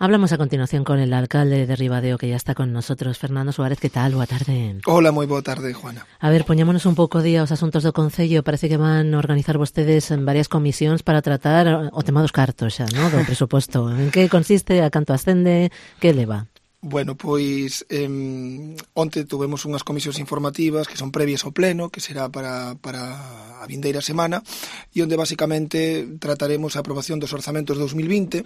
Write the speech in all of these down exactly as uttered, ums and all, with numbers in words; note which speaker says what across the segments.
Speaker 1: Hablamos a continuación con el alcalde de Ribadeo, que ya está con nosotros. Fernando Suárez, que tal? Boa tarde.
Speaker 2: Hola, moi boa tarde, Juana.
Speaker 1: A ver, poñémonos un pouco día os asuntos do Concello. Parece que van a organizar vostedes en varias comisións para tratar o tema dos cartos xa, ¿no? Do presuposto. En que consiste, a canto ascende, que leva?
Speaker 2: Bueno, pois eh, onte tuvemos unhas comisións informativas que son previas ao pleno, que será para, para a vindeira semana, e onde basicamente trataremos a aprobación dos orzamentos dos mil vinte,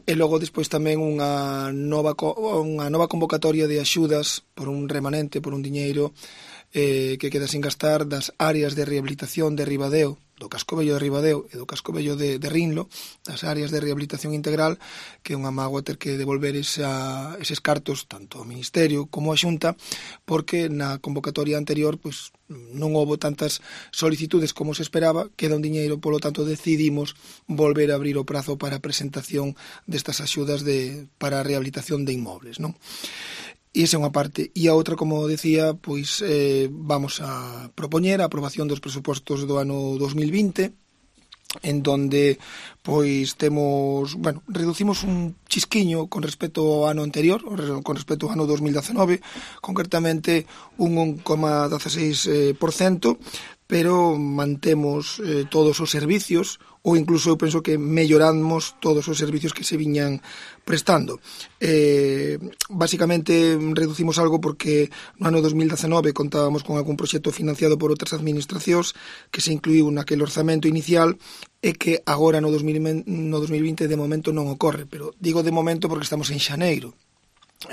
Speaker 2: e logo despois tamén unha nova, unha nova convocatoria de axudas por un remanente, por un diñeiro eh, que queda sin gastar das áreas de rehabilitación de Ribadeo, do Casco Vello de Ribadeo e do Casco Vello de, de Rinlo, das áreas de rehabilitación integral, que é unha mágoa ter que devolver esa, eses cartos tanto ao Ministerio como á Xunta, porque na convocatoria anterior pois, non houbo tantas solicitudes como se esperaba, queda un diñeiro, polo tanto decidimos volver a abrir o prazo para a presentación destas axudas de, para a rehabilitación de inmobles, non? E esa é unha parte. E a outra, como decía, pois eh, vamos a propoñer a aprobación dos presupostos do ano dos mil vinte, en donde pois temos, bueno, reducimos un chisquiño con respecto ao ano anterior, con respecto ao ano dos mil dezenove, concretamente un un coma dezaseis por cento, pero mantemos eh, todos os servicios, ou incluso eu penso que melloramos todos os servicios que se viñan prestando. Eh, basicamente reducimos algo porque no ano dos mil dezenove contábamos con algún proxecto financiado por outras administracións que se incluíu naquele orzamento inicial e que agora no dos mil vinte de momento non ocorre, pero digo de momento porque estamos en xaneiro.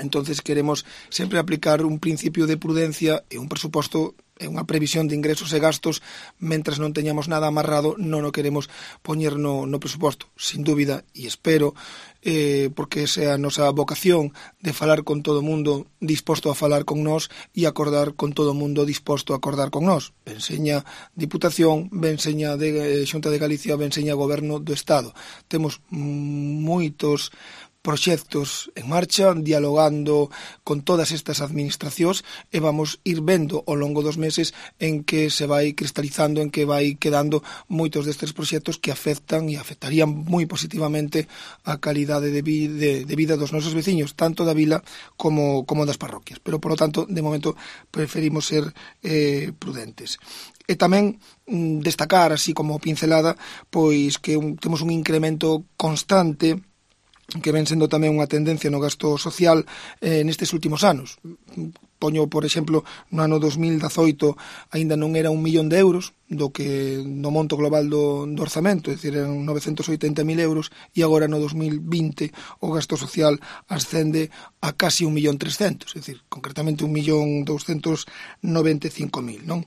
Speaker 2: Entonces queremos sempre aplicar un principio de prudencia e un presuposto e unha previsión de ingresos e gastos mentras non teñamos nada amarrado, non o queremos poñer no, no presuposto, sin dúbida, e espero, eh, porque esa é a nosa vocación de falar con todo o mundo disposto a falar con nós e acordar con todo o mundo disposto a acordar con nós. Ben seña Diputación, ben seña de eh, Xunta de Galicia, ben seña Goberno do Estado. Temos moitos proxectos en marcha, dialogando con todas estas administracións e vamos ir vendo ao longo dos meses en que se vai cristalizando, en que vai quedando moitos destes proxectos que afectan e afectarían moi positivamente a calidade de, vi, de, de vida dos nosos veciños, tanto da vila como, como das parroquias. Pero, por lo tanto, de momento preferimos ser eh, prudentes. E tamén mm, destacar, así como pincelada, pois que un, temos un incremento constante que ven sendo tamén unha tendencia no gasto social eh, nestes últimos anos. Poño, por exemplo, no ano dos mil dezoito aínda non era un millón de euros do que no monto global do, do orzamento, é dicir, eran novecentos oitenta mil euros, e agora no dos mil vinte o gasto social ascende a casi un millón trescentos, é dicir, concretamente un millón douscentos noventa e cinco mil, non?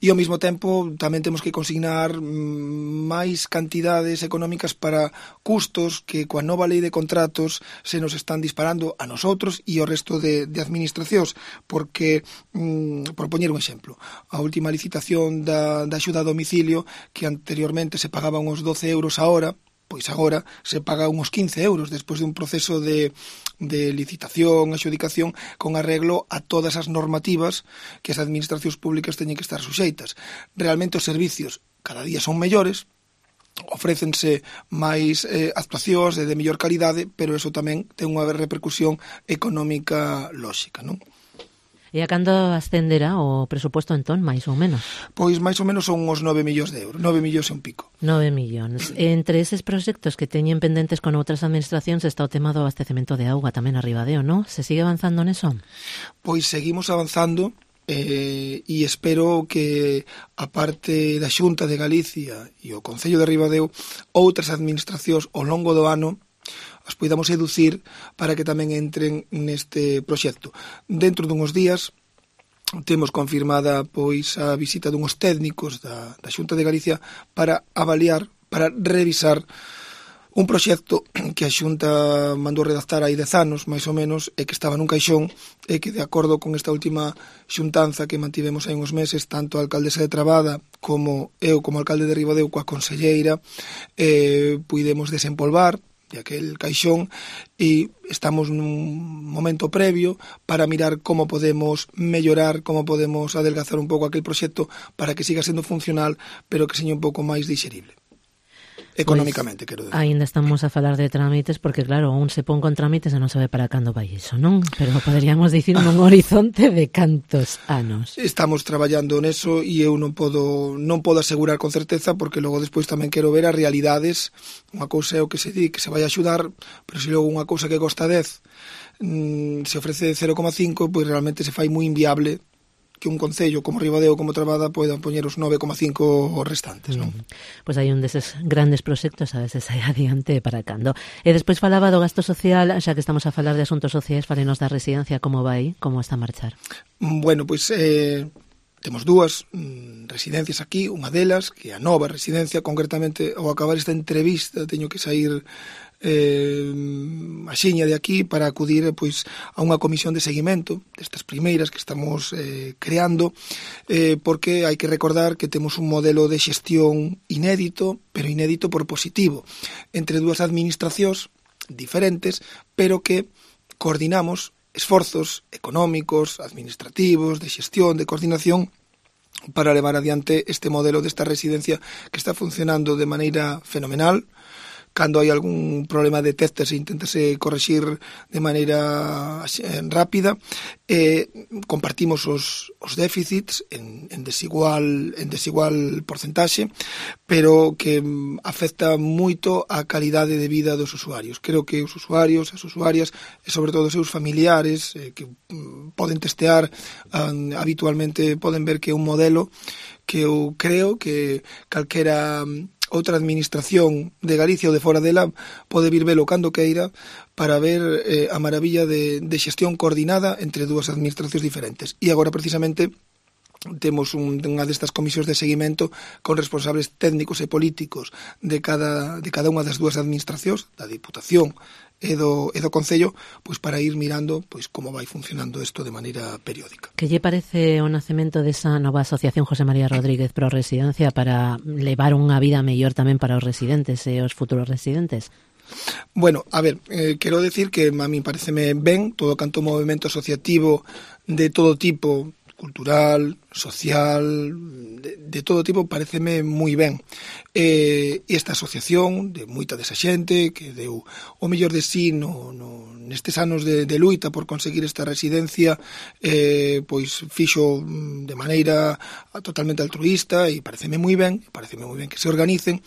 Speaker 2: E ao mesmo tempo tamén temos que consignar máis cantidades económicas para custos que coa nova lei de contratos se nos están disparando a nosotros e ao resto de, de administracións, porque, mm, por poñer un exemplo, a última licitación da, da axuda a domicilio, que anteriormente se pagaban uns doce euros a hora, pois agora se paga uns quince euros despois de un proceso de, de licitación, adxudicación, con arreglo a todas as normativas que as administracións públicas teñen que estar suxeitas. Realmente os servicios cada día son mellores, ofrécense máis eh, actuacións de, de mellor calidade, pero eso tamén ten unha repercusión económica lóxica, non?
Speaker 1: E a cando ascenderá o presuposto entón, máis ou menos?
Speaker 2: Pois máis ou menos son uns nove millóns de euros, nove millóns e un pico.
Speaker 1: Nove millóns. Entre eses proxectos que teñen pendentes con outras administracións está o tema do abastecemento de auga tamén a Ribadeo, non? Se sigue avanzando neso?
Speaker 2: Pois seguimos avanzando eh, e espero que a parte da Xunta de Galicia e o Concello de Ribadeo, outras administracións ao longo do ano as poidamos seducir para que tamén entren neste proxecto. Dentro dunhos días temos confirmada pois a visita dunhos técnicos da, da Xunta de Galicia para avaliar, para revisar un proxecto que a Xunta mandou redactar hai dez anos, máis ou menos, e que estaba nun caixón, e que de acordo con esta última xuntanza que mantivemos hai uns meses, tanto a alcaldesa de Trabada como eu como alcalde de Ribadeo coa conselleira, eh, puidemos desempolvar de aquel caixón e estamos nun momento previo para mirar como podemos mellorar, como podemos adelgazar un pouco aquel proxecto para que siga sendo funcional, pero que seña un pouco máis dixerible. económicamente, pues, quero decir.
Speaker 1: Ainda estamos a falar de trámites, porque claro, un se pon con trámites e non sabe para cando vai iso, non? Pero poderíamos dicir nun horizonte de cantos anos.
Speaker 2: Estamos traballando neso e eu non podo non podo asegurar con certeza, porque logo despois tamén quero ver as realidades. Unha cousa é o que se di, que se vai axudar, pero se logo unha cousa que costa dez mmm, se ofrece cero coma cinco, pois realmente se fai moi inviable que un concello como Ribadeo, como Trabada, poidan poñer os nove coma cinco os restantes, non?
Speaker 1: Mm. Pois hai un deses grandes proxectos, a veces hai adiante para cando. E despois falaba do gasto social, xa que estamos a falar de asuntos sociais, falenos da residencia, como vai, como está a marchar?
Speaker 2: Bueno, pois eh, temos dúas mm, residencias aquí, unha delas, que é a nova residencia, concretamente, ao acabar esta entrevista, teño que sair eh, a xiña de aquí para acudir pois a unha comisión de seguimento destas primeiras que estamos eh, creando, eh, porque hai que recordar que temos un modelo de xestión inédito, pero inédito por positivo, entre dúas administracións diferentes, pero que coordinamos esforzos económicos, administrativos, de xestión, de coordinación, para levar adiante este modelo desta residencia que está funcionando de maneira fenomenal. Cando hai algún problema detectase e inténtase correxir de maneira rápida. Eh, compartimos os, os déficits en, en, desigual, en desigual porcentaxe, pero que afecta moito a calidade de vida dos usuarios. Creo que os usuarios, as usuarias, e sobre todo os seus familiares, eh, que mm, poden testear um, habitualmente, poden ver que é un modelo que eu creo que calquera outra administración de Galicia ou de fora dela pode vir velo cando queira para ver eh, a maravilla de, de xestión coordinada entre dúas administracións diferentes. E agora, precisamente, temos un, unha destas comisións de seguimento con responsables técnicos e políticos de cada, de cada unha das dúas administracións, da Diputación e do, e do Concello, pois para ir mirando pois como vai funcionando isto de maneira periódica.
Speaker 1: Que lle parece o nacemento desa nova asociación José María Rodríguez Pro Residencia para levar unha vida mellor tamén para os residentes e os futuros residentes?
Speaker 2: Bueno, a ver, eh, quero decir que a mí pareceme ben todo canto movimento asociativo de todo tipo, cultural, social, de, de todo tipo, pareceme moi ben. Eh, esta asociación, de moita desa xente, que deu o mellor de sí no, no, nestes anos de, de luita por conseguir esta residencia, eh, pois fixo de maneira totalmente altruista e pareceme moi ben, pareceme moi ben que se organicen.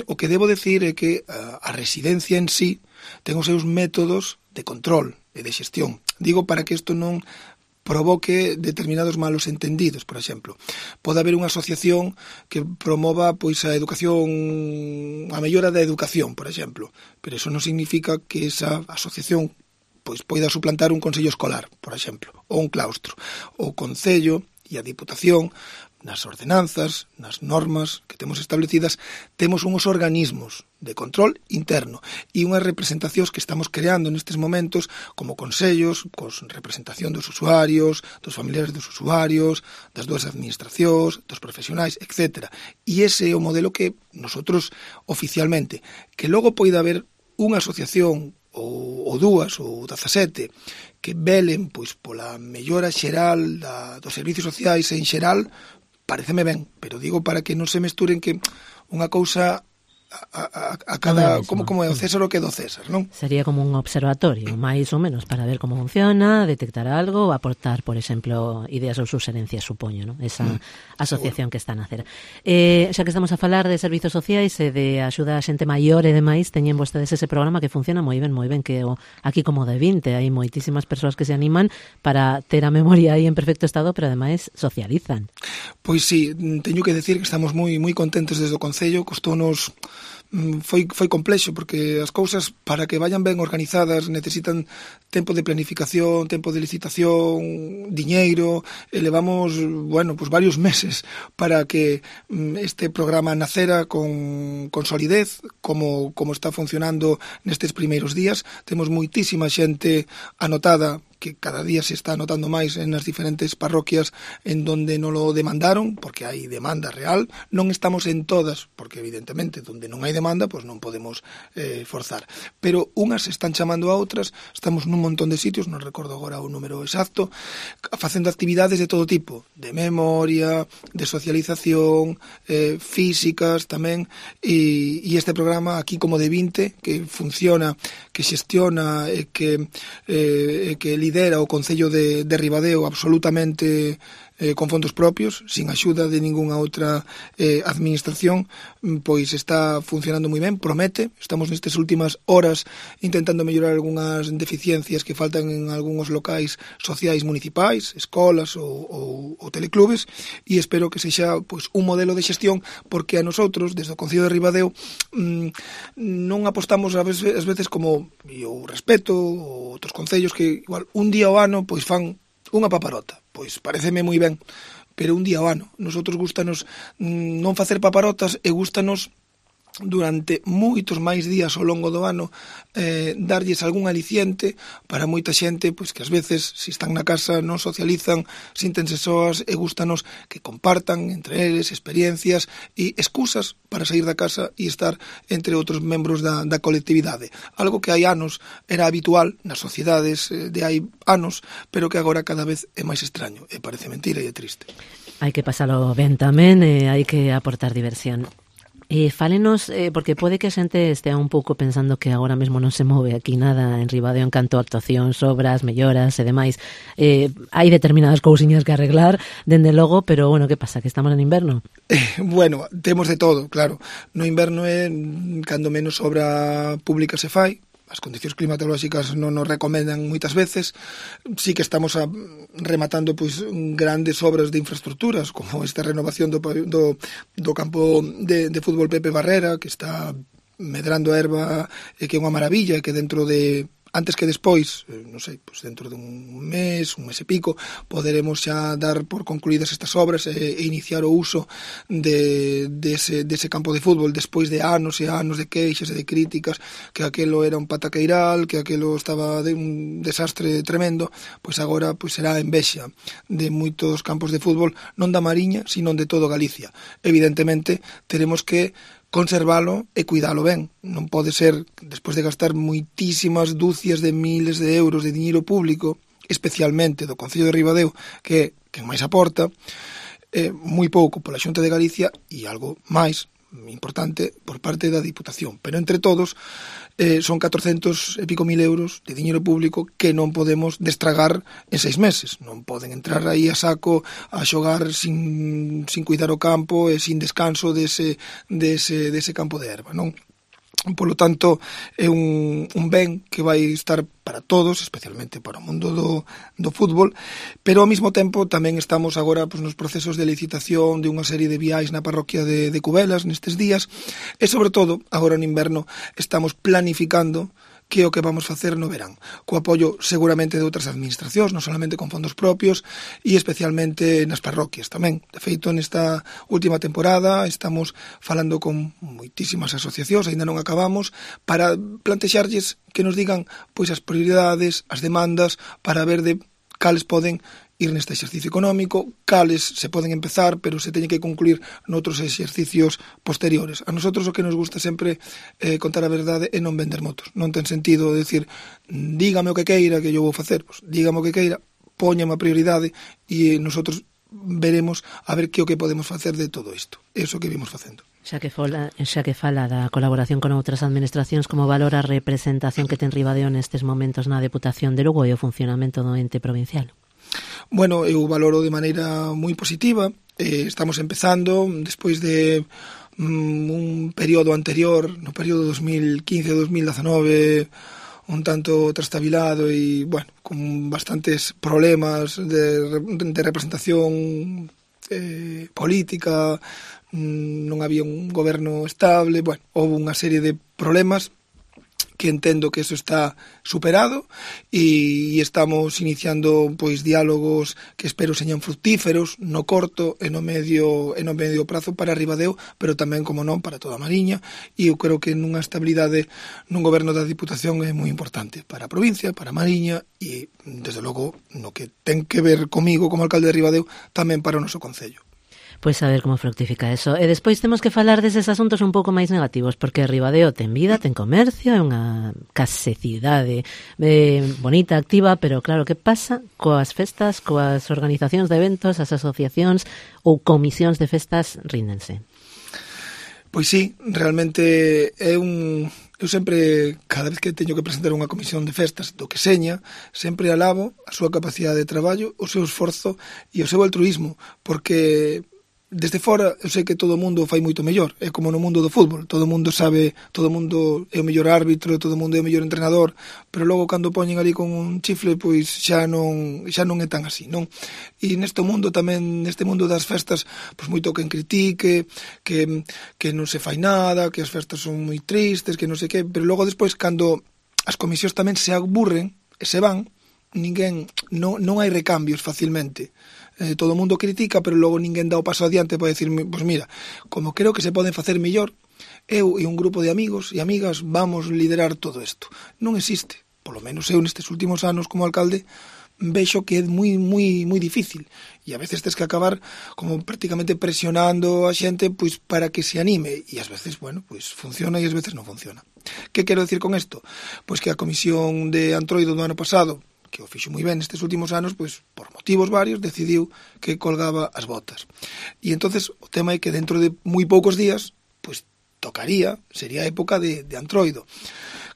Speaker 2: O que debo decir é que a, a residencia en sí ten os seus métodos de control e de xestión. Digo para que isto non provoque determinados malos entendidos, por exemplo. Pode haber unha asociación que promova pois a educación, a mellora da educación, por exemplo, pero eso non significa que esa asociación pois poida suplantar un consello escolar, por exemplo, ou un claustro. O Concello e a Diputación, nas ordenanzas, nas normas que temos establecidas, temos uns organismos de control interno e unhas representacións que estamos creando nestes momentos como consellos, cos representación dos usuarios, dos familiares dos usuarios, das dúas administracións, dos profesionais, etcétera. E ese é o modelo que nosotros oficialmente, que logo poida haber unha asociación ou, ou dúas, ou dezasete, que velen pois pola mellora xeral da, dos servicios sociais en xeral, pareceme ben, pero digo para que non se mesturen que unha cousa a, a, a cada, no como, como é o César o que é do César, non?
Speaker 1: Sería como un observatorio, máis ou menos, para ver como funciona, detectar algo, ou aportar, por exemplo, ideas ou suxerencias, supoño, non? Esa mm, asociación seguro que está a nacer. Eh, xa que estamos a falar de servizos sociais e de axuda a xente maior e demais, teñen vostedes ese programa que funciona moi ben, moi ben, que o, aquí como de vinte, hai moitísimas persoas que se animan para ter a memoria aí en perfecto estado, pero ademais socializan.
Speaker 2: Pois sí, teño que decir que estamos moi moi contentos desde o Concello, costounos foi foi complexo porque as cousas para que vayan ben organizadas necesitan tempo de planificación, tempo de licitación, diñeiro, e levamos, bueno, pues varios meses para que este programa nacera con, con solidez, como, como está funcionando nestes primeiros días. Temos moitísima xente anotada que cada día se está notando máis en as diferentes parroquias en donde non lo demandaron, porque hai demanda real. Non estamos en todas, porque evidentemente donde non hai demanda, pois non podemos eh, forzar. Pero unhas están chamando a outras, estamos nun montón de sitios, non recordo agora o número exacto, facendo actividades de todo tipo, de memoria, de socialización, eh, físicas tamén, e, e este programa aquí como de vinte, que funciona, que xestiona e que, eh, que lidera o Concello de, de Ribadeo absolutamente eh, con fondos propios, sin axuda de ningunha outra eh, administración, pois está funcionando moi ben, promete. Estamos nestas últimas horas intentando mellorar algunhas deficiencias que faltan en algúns locais sociais municipais, escolas ou, ou, ou teleclubes, e espero que sexa pois, un modelo de xestión, porque a nosotros, desde o Concello de Ribadeo, mmm, non apostamos a veces, as veces como, e eu respeto, outros concellos que igual un día ao ano pois fan unha paparota. Pois pareceme moi ben, pero un día ao ano. Nosotros gustanos mmm, non facer paparotas e gustanos durante moitos máis días ao longo do ano eh, darlles algún aliciente para moita xente pois que ás veces, se están na casa, non socializan, síntense soas e gustanos que compartan entre eles experiencias e excusas para sair da casa e estar entre outros membros da, da colectividade. Algo que hai anos era habitual nas sociedades eh, de hai anos, pero que agora cada vez é máis extraño. E parece mentira e é triste.
Speaker 1: Hai que pasalo ben tamén e hai que aportar diversión. Eh, fálenos, eh, porque pode que a xente estea un pouco pensando que agora mesmo non se move aquí nada en Ribadeo en canto a actuacións, obras, melloras e demais. Eh, hai determinadas cousiñas que arreglar, dende logo, pero, bueno, que pasa, que estamos en inverno?
Speaker 2: Eh, bueno, temos de todo, claro. No inverno é cando menos obra pública se fai, as condicións climatolóxicas non nos recomendan moitas veces. Sí que estamos a, rematando pois grandes obras de infraestructuras, como esta renovación do, do, do campo de, de fútbol Pepe Barrera, que está medrando a erva e que é unha maravilla, e que dentro de antes que despois, non sei, pois dentro de un mes, un mes e pico, poderemos xa dar por concluídas estas obras e, e iniciar o uso de, de, ese, de ese campo de fútbol despois de anos e anos de queixas e de críticas, que aquelo era un pataqueiral, que aquelo estaba de un desastre tremendo. Pois agora pois será a envexa de moitos campos de fútbol, non da Mariña, sino de todo Galicia. Evidentemente, teremos que conservalo e cuidalo ben. Non pode ser, despois de gastar moitísimas dúcias de miles de euros de diñeiro público, especialmente do Concello de Ribadeo, que é quen máis aporta, eh, moi pouco pola Xunta de Galicia e algo máis importante por parte da Diputación. Pero entre todos eh, son catrocentos e pico mil euros de diñeiro público que non podemos destragar en seis meses. Non poden entrar aí a saco a xogar sin, sin cuidar o campo e sin descanso dese, dese, dese campo de erva, non? Polo tanto, é un, un ben que vai estar para todos, especialmente para o mundo do, do fútbol, pero ao mesmo tempo tamén estamos agora pois, nos procesos de licitación de unha serie de viais na parroquia de, de Cubelas nestes días, e sobre todo, agora no inverno, estamos planificando que é o que vamos facer no verán, co apoio seguramente de outras administracións, non solamente con fondos propios, e especialmente nas parroquias tamén. De feito, nesta última temporada estamos falando con moitísimas asociacións, aínda non acabamos, para plantexarlles que nos digan pois as prioridades, as demandas, para ver de cales poden ir neste exercicio económico, cales se poden empezar, pero se teñen que concluir noutros exercicios posteriores. A nosotros o que nos gusta sempre eh, contar a verdade e non vender motos. Non ten sentido decir, dígame o que queira que eu vou facer. Pues, dígame o que queira, póñame a prioridade e nosotros veremos a ver que o que podemos facer de todo isto. É iso que vimos facendo.
Speaker 1: Xa que, fola, xa que fala da colaboración con outras administracións, como valora a representación que ten Ribadeo nestes momentos na Deputación de Lugo e o funcionamento do ente provincial?
Speaker 2: Bueno, eu valoro de maneira moi positiva. Eh, estamos empezando, despois de mm, un período anterior, no período dos mil quince a dos mil dezanove, un tanto trastabilado e, bueno, con bastantes problemas de, de representación eh, política, non había un goberno estable, bueno, houve unha serie de problemas que entendo que eso está superado e estamos iniciando pois diálogos que espero señan fructíferos no corto e no medio e no medio prazo para Ribadeo, pero tamén, como non, para toda a Mariña, e eu creo que nunha estabilidade nun goberno da Diputación é moi importante para a provincia, para a Mariña e, desde logo, no que ten que ver comigo como alcalde de Ribadeo, tamén para o noso concello.
Speaker 1: Pois a ver como fructifica eso. E despois temos que falar deses asuntos un pouco máis negativos, porque Ribadeo ten vida, ten comercio, é unha case cidade eh, bonita, activa, pero claro, que pasa coas festas, coas organizacións de eventos, as asociacións ou comisións de festas ríndense?
Speaker 2: Pois sí, realmente é un... Eu sempre, cada vez que teño que presentar unha comisión de festas do que seña, sempre alabo a súa capacidade de traballo, o seu esforzo e o seu altruismo, porque desde fora eu sei que todo o mundo fai moito mellor, é como no mundo do fútbol, todo o mundo sabe, todo o mundo é o mellor árbitro, todo o mundo é o mellor entrenador, pero logo cando poñen ali con un chifle, pois xa non xa non é tan así, non? E neste mundo tamén, neste mundo das festas, pois moito quen critique, que que non se fai nada, que as festas son moi tristes, que non sei que, pero logo despois cando as comisións tamén se aburren e se van, ninguén non non hai recambios facilmente. Eh, todo o mundo critica, pero logo ninguén dá o paso adiante para decir, pois mira, como creo que se poden facer mellor, eu e un grupo de amigos e amigas vamos liderar todo isto. Non existe, polo menos eu nestes últimos anos como alcalde, vexo que é moi, moi, moi difícil. E a veces tens que acabar como prácticamente presionando a xente pois para que se anime. E ás veces, bueno, pois funciona e ás veces non funciona. Que quero decir con isto? Pois que a comisión de Antroido do ano pasado, que o fixo moi ben nestes últimos anos, pois por motivos varios decidiu que colgaba as botas. E entonces o tema é que dentro de moi poucos días, pois tocaría, sería a época de, de Antroido.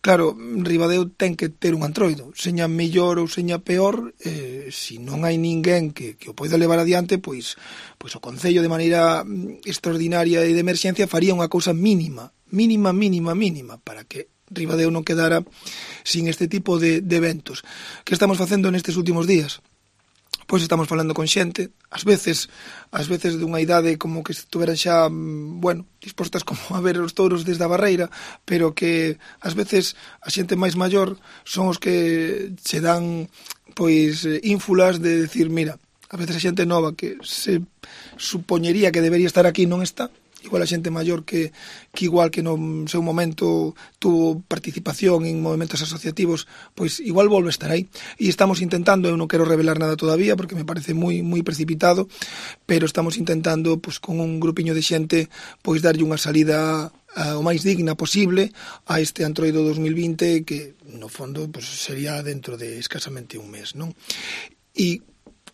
Speaker 2: Claro, Ribadeo ten que ter un Antroido, seña mellor ou seña peor, eh, se non hai ninguén que, que o poida levar adiante, pois, pois o Concello de maneira extraordinaria e de emerxencia faría unha cousa mínima, mínima, mínima, mínima, para que Ribadeo non quedara sin este tipo de, de eventos. Que estamos facendo nestes últimos días? Pois estamos falando con xente, ás veces, ás veces dunha idade como que estuveran xa, bueno, dispostas como a ver os touros desde a barreira, pero que ás veces a xente máis maior son os que se dan pois ínfulas de decir, mira, a veces a xente nova que se supoñería que debería estar aquí non está, igual a xente maior que, que igual que no seu momento tuvo participación en movimentos asociativos, pois igual volve a estar aí. E estamos intentando, eu non quero revelar nada todavía porque me parece moi moi precipitado, pero estamos intentando pois con un grupiño de xente pois darlle unha salida uh, o máis digna posible a este Antroido dos mil vinte que no fondo pois sería dentro de escasamente un mes, non? E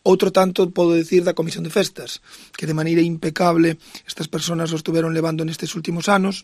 Speaker 2: outro tanto podo decir da Comisión de Festas, que de maneira impecable estas persoas o estuveron levando nestes últimos anos,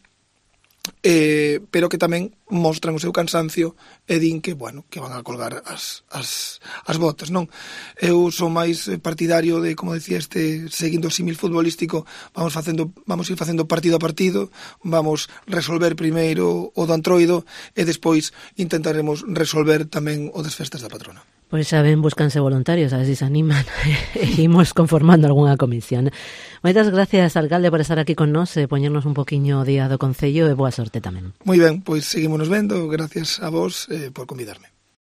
Speaker 2: eh, pero que tamén mostran o seu cansancio e din que, bueno, que van a colgar as, as, as botas, non? Eu sou máis partidario de, como decía este, seguindo o símil futbolístico, vamos facendo, vamos ir facendo partido a partido, vamos resolver primeiro o do Antroido e despois intentaremos resolver tamén o das festas da patrona.
Speaker 1: Pois xa ben, búscanse voluntarios, a ver se se animan e imos conformando algunha comisión. Moitas gracias, alcalde, por estar aquí con nós e poñernos un poquinho o día do Concello e boa sorte tamén.
Speaker 2: Moi ben, pois seguímonos vendo, gracias a vos eh, por convidarme.